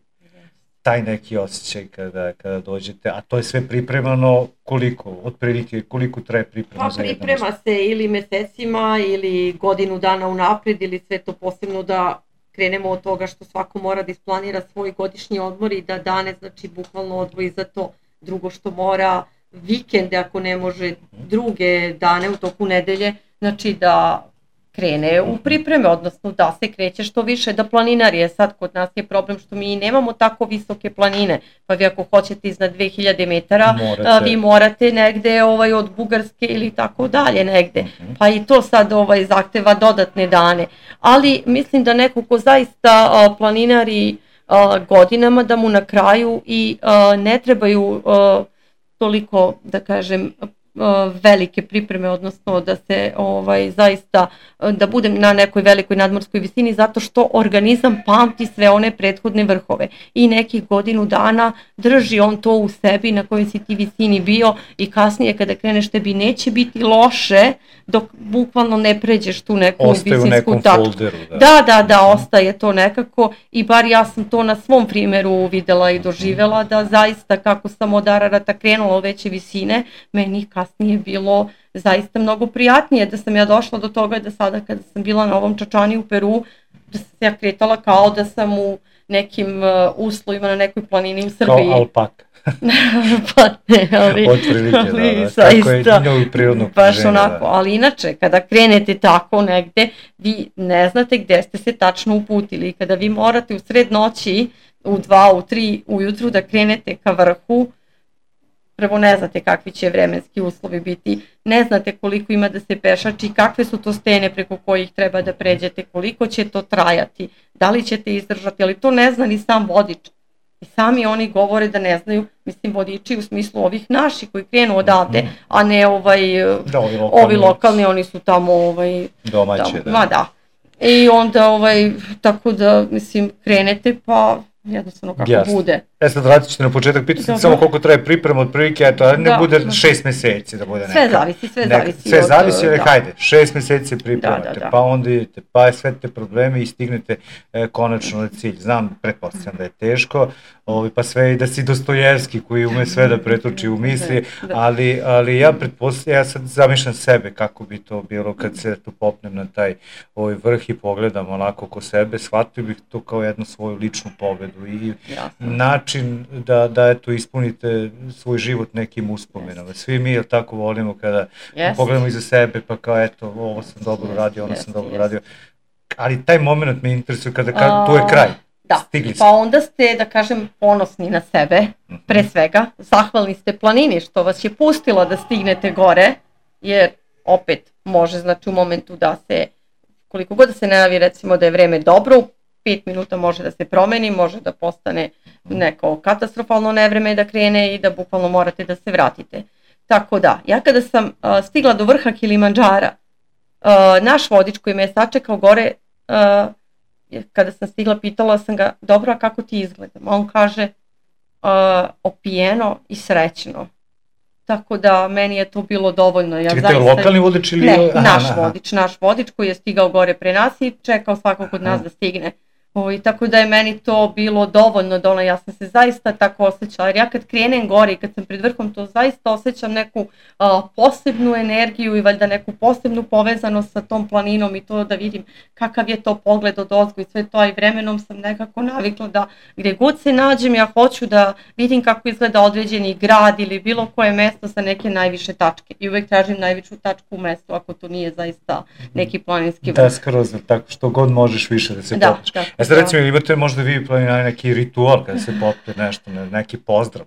Taj neki osjećaj kada, kada dođete, a to je sve pripremano koliko, otprilike, koliko traje priprema
pa,
za jedan
priprema
osjećaj?
se ili mesecima ili godinu dana unapred ili sve to posebno da krenemo od toga što svako mora da isplanira svoj godišnji odmor i da dane, znači, bukvalno odvoji za to. Drugo što mora vikende, ako ne može druge dane u toku nedelje, znači da krene u pripreme, odnosno da se kreće što više, da planinari je sad, kod nas je problem što mi nemamo tako visoke planine, pa vi ako hoćete iznad dve hiljade metara, morate. vi morate negde ovaj, od Bugarske ili tako dalje negde, uh-huh. pa i to sad ovaj, zahteva dodatne dane, ali mislim da neko ko zaista a, planinari a, godinama, da mu na kraju i a, ne trebaju a, toliko, da kažem, velike pripreme, odnosno da se ovaj zaista, da budem na nekoj velikoj nadmorskoj visini, zato što organizam pamti sve one prethodne vrhove i nekih godinu dana drži on to u sebi na kojoj si ti visini bio i kasnije kada kreneš tebi neće biti loše dok bukvalno ne pređeš tu neku
ostaje
visinsku tačku.
Folderu, da.
da, da, da, ostaje to nekako i bar ja sam to na svom primjeru videla i doživjela da zaista kako sam od Ararata krenula u veće visine, meni kasnije bilo zaista mnogo prijatnije da sam ja došla do toga da sada kada sam bila na ovom Čačani u Peru, da sam se ja kretala kao da sam u nekim uh, uslovima na nekoj planini u Srbiji.
Kao alpaka.
pa ne, ali,
Otprilike,
ali
da, da.
zaista,
Tako je prirodno
baš
žene,
onako,
da.
Ali inače, kada krenete tako negde, vi ne znate gde ste se tačno uputili. Kada vi morate u sred noći, u dva, u tri ujutru da krenete ka vrhu, prvo ne znate kakvi će vremenski uslovi biti, ne znate koliko ima da se pešači, kakve su to stene preko kojih treba da pređete, koliko će to trajati, da li ćete izdržati, ali to ne zna ni sam vodič. I sami oni govore da ne znaju, mislim vodiči u smislu ovih naših koji krenu odavde, mm. a ne ovaj,
da, ovi, lokalni,
ovi lokalni, oni su tamo ovaj,
domaće.
Tamo,
da.
Ma da. I onda ovaj, tako da mislim krenete pa jednostavno kako yes. bude.
E sad vratit ćete na početak, pitao sam samo koliko traje priprema od prilike, eto, ali ne da, bude da. šest meseci da bude neka.
Sve zavisi, sve
neka,
zavisi.
Sve
od,
zavisi, ali
da.
hajde, šest meseci pripremate,
da, da, da.
pa onda idete, pa sve te probleme i stignete e, konačno na cilj. Znam, pretpostavljam da je teško, ovi, pa sve i da si Dostojevski koji ume sve da pretoči u misli, da, da. ali, ali ja pretpostavljam, ja sad zamišljam sebe kako bi to bilo kad se tu popnem na taj ovaj vrh i pogledam onako oko sebe, shvatio bih to kao jednu svoju ličnu pobedu i Jasno. način da, da eto, ispunite svoj život nekim uspomenama. Svi mi, jel tako, volimo kada yes. pogledamo iza sebe, pa kao eto, ovo sam dobro yes. radio, ono yes. sam dobro yes. radio. Ali taj moment me interesuje kada, kada tu je kraj.
Da, Stigli pa onda ste, da kažem, ponosni na sebe, pre svega, zahvalni ste planini što vas je pustila da stignete gore, jer opet može, znači u momentu da se, koliko god da se najavi recimo da je vreme dobro, pet minuta može da se promeni, može da postane neko katastrofalno nevreme da krene i da bukvalno morate da se vratite. Tako da, ja kada sam uh, stigla do vrha Kilimandžara, uh, naš vodič koji me je sačekao gore, uh, kada sam stigla pitala sam ga, dobro, a kako ti izgledam? A on kaže, uh, opijeno i srećno. Tako da meni je to bilo dovoljno. Ja
Čekaj, zaista... lokalni vodič ili...
Ne, naš aha, vodič, naš vodič koji je stigao gore pre nas i čekao svakog od nas da stigne. O, i tako da je meni to bilo dovoljno da ono, ja sam se zaista tako osjećala, jer ja kad krenem gore i kad sam pred vrhom to zaista osjećam neku a, posebnu energiju i valjda neku posebnu povezanost sa tom planinom i to da vidim kakav je to pogled od ozgo i sve to, i vremenom sam nekako navikla da gdje god se nađem ja hoću da vidim kako izgleda određeni grad ili bilo koje mesto sa neke najviše tačke i uvek tražim najvišu tačku u mestu ako to nije zaista neki planinski vrh.
Da, skroz, tako što god možeš više da se
da,
popneš.
Da.
E sad recimo, imate možda vi planinari neki ritual kada se popne nešto, neki pozdrav,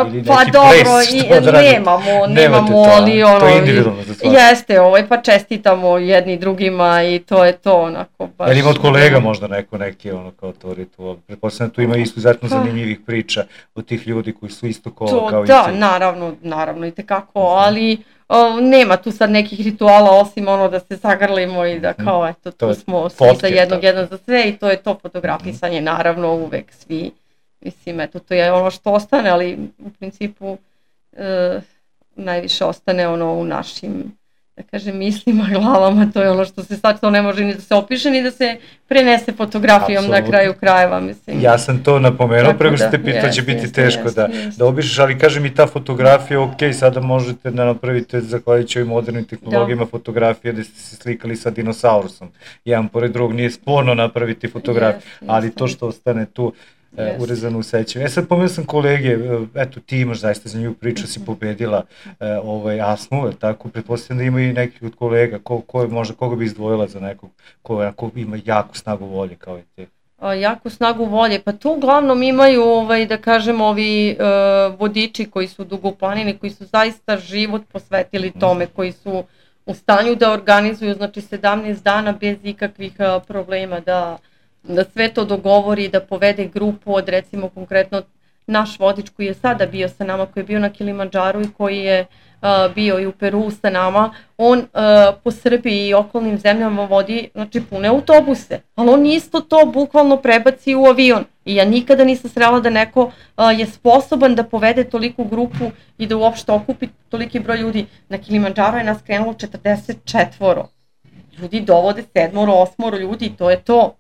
ili neki
pa dobro,
ples,
i,
što da radite?
nemamo,
Nemate
nemamo,
to,
ali ono...
to je individualno za svaku.
Jeste, ovaj, pa čestitamo jedni drugima i to je to, onako baš...
Jel ima od kolega možda neko neki ono kao to ritual? Pretpostavljam tu ima isto izuzetno zanimljivih priča od tih ljudi koji su isto ko,
to,
kao
da,
i ti.
naravno, naravno i tekako, ali o, nema tu sad nekih rituala osim ono da se zagrlimo i da kao eto tu smo svi za jednog, jedan za sve i to je to fotografisanje, naravno uvek svi, mislim eto to je ono što ostane, ali u principu e, najviše ostane ono u našim, da kažem, mislima, glavama, to je ono što se sad to ne može ni da se opiše, ni da se prenese fotografijom Absolutno. Na kraju krajeva, mislim.
Ja sam to napomenuo, prego što te pitao, će biti teško jest, da, jest. da opišeš, ali kažem i ta fotografija, ok, sada možete da napravite, zahvaljujući ovim modernim tehnologijama, da. Fotografije da ste se slikali sa dinosaurusom, jedan pored drugog, nije sporno napraviti fotografiju, jest, ali jest. To što ostane tu, Yes. urezano u sećanju. E sad pomenuo sam kolege, eto ti imaš zaista za nju priču, si pobedila e, ovaj, Asmu, tako, pretpostavljam da ima i nekih od kolega, ko, ko je, možda koga bi izdvojila za nekog ko, ko ima jaku snagu volje kao i ti?
A, jaku snagu volje, pa tu uglavnom imaju, ovaj, da kažem, ovi e, vodiči koji su dugoplanini, koji su zaista život posvetili tome, koji su u stanju da organizuju, znači sedamnaest dana bez ikakvih a, problema, da da sve to dogovori, da povede grupu od recimo konkretno naš vodič koji je sada bio sa nama, koji je bio na Kilimandžaru i koji je uh, bio i u Peru sa nama, on uh, po Srbiji i okolnim zemljama vodi znači, pune autobuse, ali on isto to bukvalno prebaci u avion i ja nikada nisam srela da neko uh, je sposoban da povede toliku grupu i da uopšte okupi toliki broj ljudi. Na Kilimandžaru je nas krenulo četrdeset četvoro, ljudi dovode sedmoro, osmoro ljudi i to je to.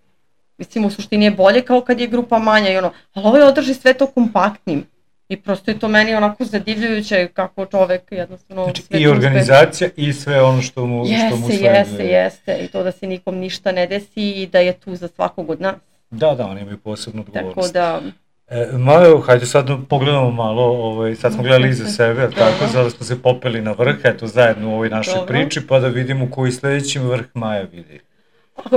Mislim, u suštini je bolje kao kad je grupa manja i ono, ali ovo je održi sve to kompaktnim. I prosto je to meni onako zadivljujuće kako čovek jednostavno...
Znači i organizacija uspe. I sve ono što mu,
jeste,
što mu sve...
Jeste, jeste, i to da se nikom ništa ne desi i da je tu za svakog od nas.
Da, da, oni imaju posebnu odgovornost.
Tako da...
E, malo, hajde sad pogledamo malo, ovaj, sad smo gledali iza sebe, tako, sada smo se popeli na vrh, eto zajedno u ovoj našoj Dobro. Priči, pa da vidimo koji sledeći vrh Maja vidi.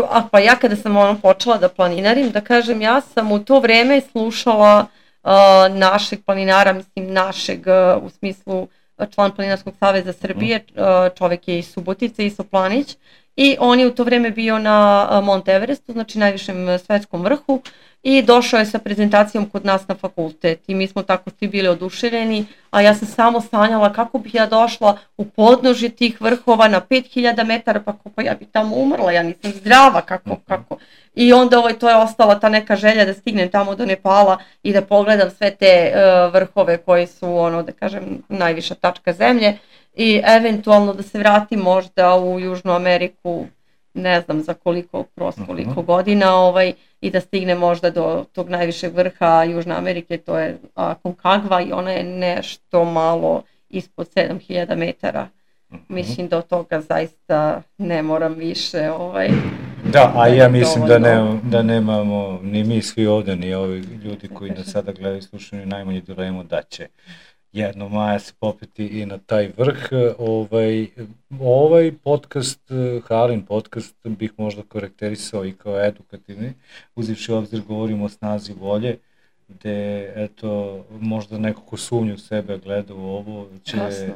A pa ja kada sam ono počela da planinarim, da kažem, ja sam u to vreme slušala uh, našeg planinara, mislim našeg uh, u smislu član Planinarskog saveza Srbije, uh, čovek je iz Subotice, Iso Planić, i on je u to vreme bio na uh, Mont Everestu, znači najvišem svetskom vrhu, i došao je sa prezentacijom kod nas na fakultet i mi smo tako svi bili oduševljeni, a ja sam samo sanjala kako bih ja došla u podnožje tih vrhova na pet hiljada metara, pa kako ja bi tamo umrla, ja nisam zdrava, kako, kako. I onda ovaj, to je ostala ta neka želja da stignem tamo do Nepala i da pogledam sve te uh, vrhove koji su, ono, da kažem, najviša tačka zemlje i eventualno da se vratim možda u Južnu Ameriku, ne znam za koliko, prosto koliko godina, ovaj, i da stigne možda do tog najvišeg vrha Južne Amerike, to je Aconcagua i ona je nešto malo ispod sedam hiljada metara. Mislim da od toga zaista ne moram više. Ovaj,
da, a ja mislim da, ne, da nemamo ni mi svi ovde, ni ovi ljudi koji nas sada gledaju i slušaju najmanje dilemu da će jedno Maja se popeti i na taj vrh. Ovaj, ovaj podcast, Halin podcast, bih možda karakterisao i kao edukativni, uzivši u obzir govorimo o snazi volje, gde eto, možda neko ko sumnju sebe gleda u ovo, će Kasno.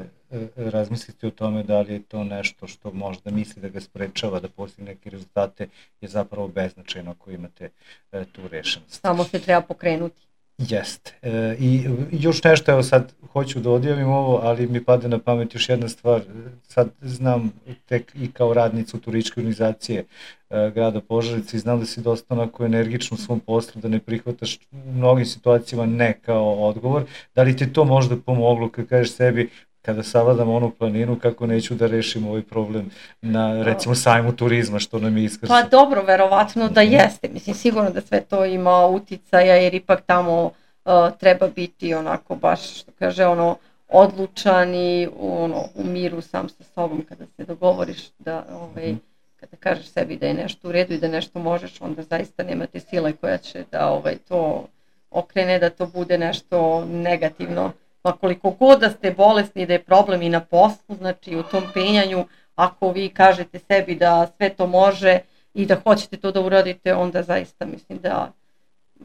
razmisliti o tome da li je to nešto što možda misli da ga sprečava da postigne neke rezultate, je zapravo beznačajno ako imate e, tu rešenost.
Samo se treba pokrenuti.
Jeste. E, I još nešto, evo sad hoću da odjavim ovo, ali mi pade na pamet još jedna stvar. Sad znam tek i kao radnica u turističke organizacije e, grada Požarevca i znam da si dosta onako energično u svom poslu, da ne prihvataš u mnogim situacijama ne kao odgovor. Da li ti to možda pomoglo kad kažeš sebi kada savladam onu planinu, kako neću da rešim ovaj problem na, recimo, sajmu turizma, što nam je iskrsno?
Pa dobro, verovatno da jeste. Mislim, sigurno da sve to ima uticaja, jer ipak tamo uh, treba biti onako baš, što kaže, ono, odlučan i ono, u miru sam sa sobom kada se dogovoriš da, ovaj, kada kažeš sebi da je nešto u redu i da nešto možeš, onda zaista nema te sile koja će da ovaj, to okrene, da to bude nešto negativno. Pa koliko god da ste bolesni, da je problem i na poslu, znači u tom penjanju, ako vi kažete sebi da sve to može i da hoćete to da uradite, onda zaista mislim da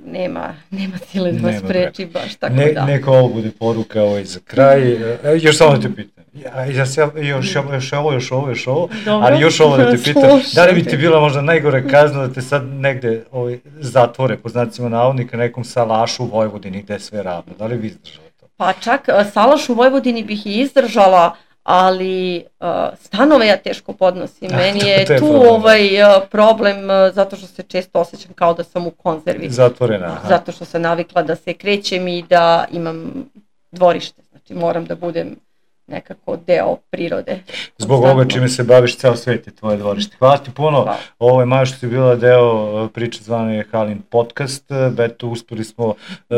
nema, nema sile da vas preči baš tako
ne,
da.
Neka ovo bude poruka ovaj za kraj. E, još samo da te pitam. Ja, ja, još, još ovo, još ovo, još ovo, dobro, ali još ovo da te pitam. Da li bi ti bila možda najgore kazna da te sad negde ovaj, zatvore, po znacima navodnika, nekom salašu u Vojvodini gde je sve ravno? Da li bi izdržala to?
Pa čak salaš u Vojvodini bih i izdržala, ali uh, stanove ja teško podnosim. Meni je, je tu problem. ovaj uh, problem uh, zato što se često osjećam kao da sam u konzervi.
Zatvorena. Aha.
Zato što sam navikla da se krećem i da imam dvorište. Znači moram da budem nekako deo prirode.
Zbog ovoga čime se baviš, ceo svet je tvoje dvorište. Hvala ti puno. Hvala. Ovo je Maja što si bila deo priče zvane Halin podcast. Beto, uspeli smo,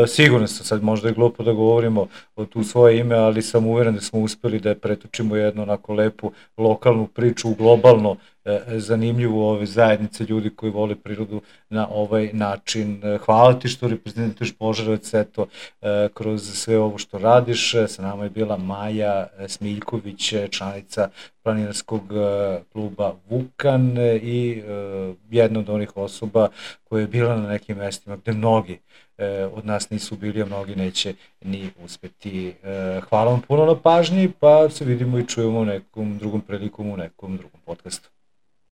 sigurno sam sad možda je glupo da govorimo o tu svoje ime, ali sam uveren da smo uspeli da pretočimo jednu onako lepu lokalnu priču u globalno zanimljivu ove zajednice ljudi koji vole prirodu na ovaj način. Hvala ti što reprezentuješ Požarevac, eto, kroz sve ovo što radiš. Sa nama je bila Maja Smiljković, članica planinarskog kluba Vukan i jedna od onih osoba koja je bila na nekim mestima gde mnogi od nas nisu bili, a mnogi neće ni uspeti. Hvala vam puno na pažnji, pa se vidimo i čujemo u nekom drugom prilikom u nekom drugom podcastu.